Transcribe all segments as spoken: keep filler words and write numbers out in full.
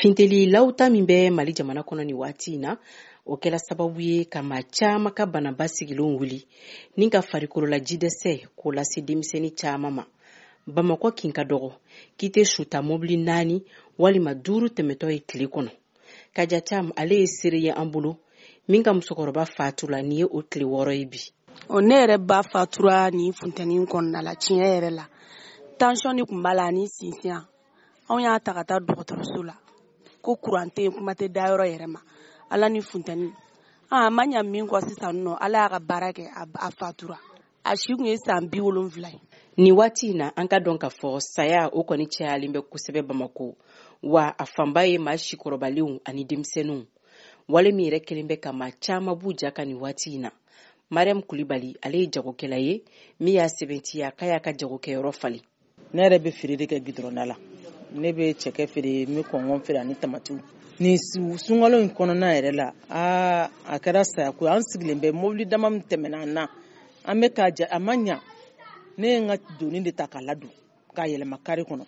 Finteli lawuta min bɛ Mali jamana kɔnɔ nin waati in na, o kɛla sababu ye ka maa caman ka bana basigilenw wuli ni ka farikolola jidɛsɛ k'o lase denmisɛnnin caman ma. Bamakɔ kin ka dɔgɔ k'i tɛ suta mobili naani walima duuru tɛmɛtɔ ye tile kɔnɔ. Kaja Cam ale ye seere ye an bolo min ka musokɔrɔba fatula nin ye o tile wɔɔrɔ ye bi. Ɔ, ne yɛrɛ ba fatura nin funteni kɔnɔna la. Tiɲɛ yɛrɛ la, tension de tun b'a la ani sinsinya. Anw y'a ta ka taa dɔgɔtɔrɔso la ko kuran tɛ yen, kuma tɛ dayɔrɔ yɛrɛ ma. Ala ni funteni a ma ɲa min kɔ sisan nɔ, Ala y'a ka baara kɛ, a fatura. A si tun ye san bi wolonfila ye. Nin waati in na, an ka dɔn k'a fɔ saya o kɔni cayalen bɛ kosɛbɛ Bamako, wa a fanba ye maa sikɔrɔbalenw ani denmisɛnninw. Wale min yɛrɛ kelen bɛ ka maa caman b'u ja kan nin waati in na, Mariam Kulibali ale ye jagokɛla ye min y'a sɛbɛntiya k'a y'a ka jagokɛyɔrɔ falen. Ne yɛrɛ bɛ feere de kɛ gidɔrɔnda la. Ne bɛ cɛkɛ feere, n bɛ kɔngɔ feere ani tamatiw. Nin sunkalo in kɔnɔna yɛrɛ la, aa, a kɛra sayako ye. An sigilen bɛ, mobili dama min tɛmɛna an na, an bɛ k'a ja, a ma ɲa. Ne ye n ka doni de ta k'a ladon k'a yɛlɛma kari kɔnɔ.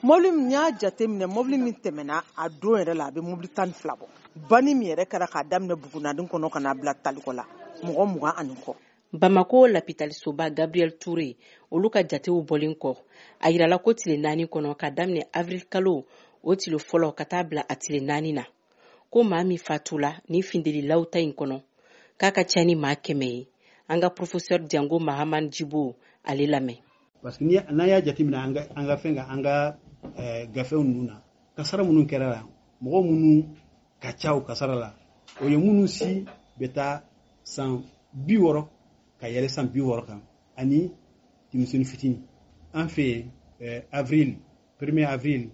Mobili min y'a jateminɛ, mobili min tɛmɛna a don yɛrɛ la, a bɛ mobili tan ni fila bɔ. Banni min yɛrɛ kɛra k'a daminɛ Bugunadin kɔnɔ ka n'a bila Talikɔ la, mɔgɔ mugan ani kɔ. Bamako lapitalisoba Gabriel Touré olu ka jatew bɔlen kɔ, a yirala ko tile naani kɔnɔ, ka daminɛ avril kalo o tile fɔlɔ ka taa bila a tile naani na, ko maa min fatula ni finteli lawuta in kɔnɔ, k'a ka ca ni maa kɛmɛ ye. An ka professeur Diango Mahaman Jibo ale lamɛn. Parce que n'an y'a jateminɛ an ka an ka fɛn kan, an ka gafew ninnu na, kasara minnu kɛra la, mɔgɔ minnu ka ca o kasara la, o ye minnu si bɛ taa san bi wɔɔrɔ ka yɛlɛ san bi wɔɔrɔ kan ani denmisɛnnin fitinin. An fɛ yen, avril, premier avril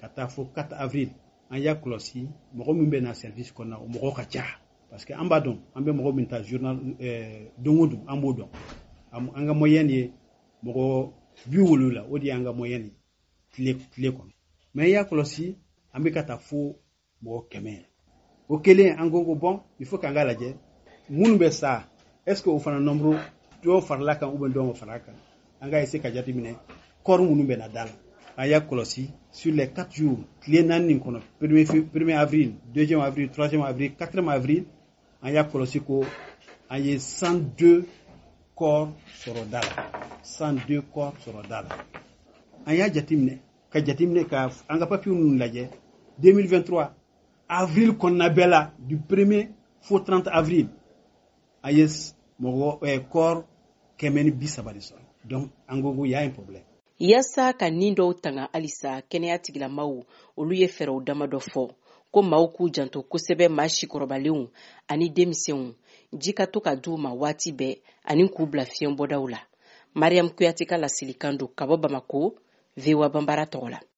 ka taa fo quatre avril, an y'a kɔlɔsi mɔgɔ min bɛ na service kɔnɔna, o mɔgɔ ka ca, parce que an b'a dɔn an bɛ mɔgɔ min ta journal don o don, an b'o dɔn. An ka moyenne ye mɔgɔ bi wolonwula, o de y'an ka moyenne ye tile tile kɔnɔ. Mais i y'a kɔlɔsi, an bɛ ka taa fo mɔgɔ kɛmɛ. O kelen, an ko ko bon, il faut k'an ka lajɛ minnu bɛ sa, est ce que o fana nombre dɔw farala kan ou bien dɔw ma fara kan. An ka essayer ka jateminɛ corps minnu bɛ na da la. An y'a kɔlɔsi sur les quatre jours, tile naani nin kɔnɔ, premier premier avril, deuxième avril, troisième avril, quatrième avril, an y'a kɔlɔsi ko an ye cent deux corps sɔrɔ da la, cent deux corps sɔrɔ da la. An y'a jateminɛ ka jateminɛ ka an ka papier ninnu lajɛ, deux mille vingt-trois avril kɔnɔna bɛɛ la, du premier fo trente avril, an ye mɔgɔ eh, corps kɛmɛ ni bi saba de sɔrɔ. Donc an ko ko y a un problème. Yaasa ka nin dɔw tanga halisa, kɛnɛya tigilamaw olu ye fɛɛrɛw damadɔ fɔ ko maaw k'u janto kosɛbɛ maa sikɔrɔbalenw ani denmisɛnw, ji ka to ka d'u ma waati bɛɛ ani k'u bila fiɲɛbɔdaw la. Mariam Kuyate ka laselikan don ka bɔ Bamako, V O A Banbara tɔgɔ la.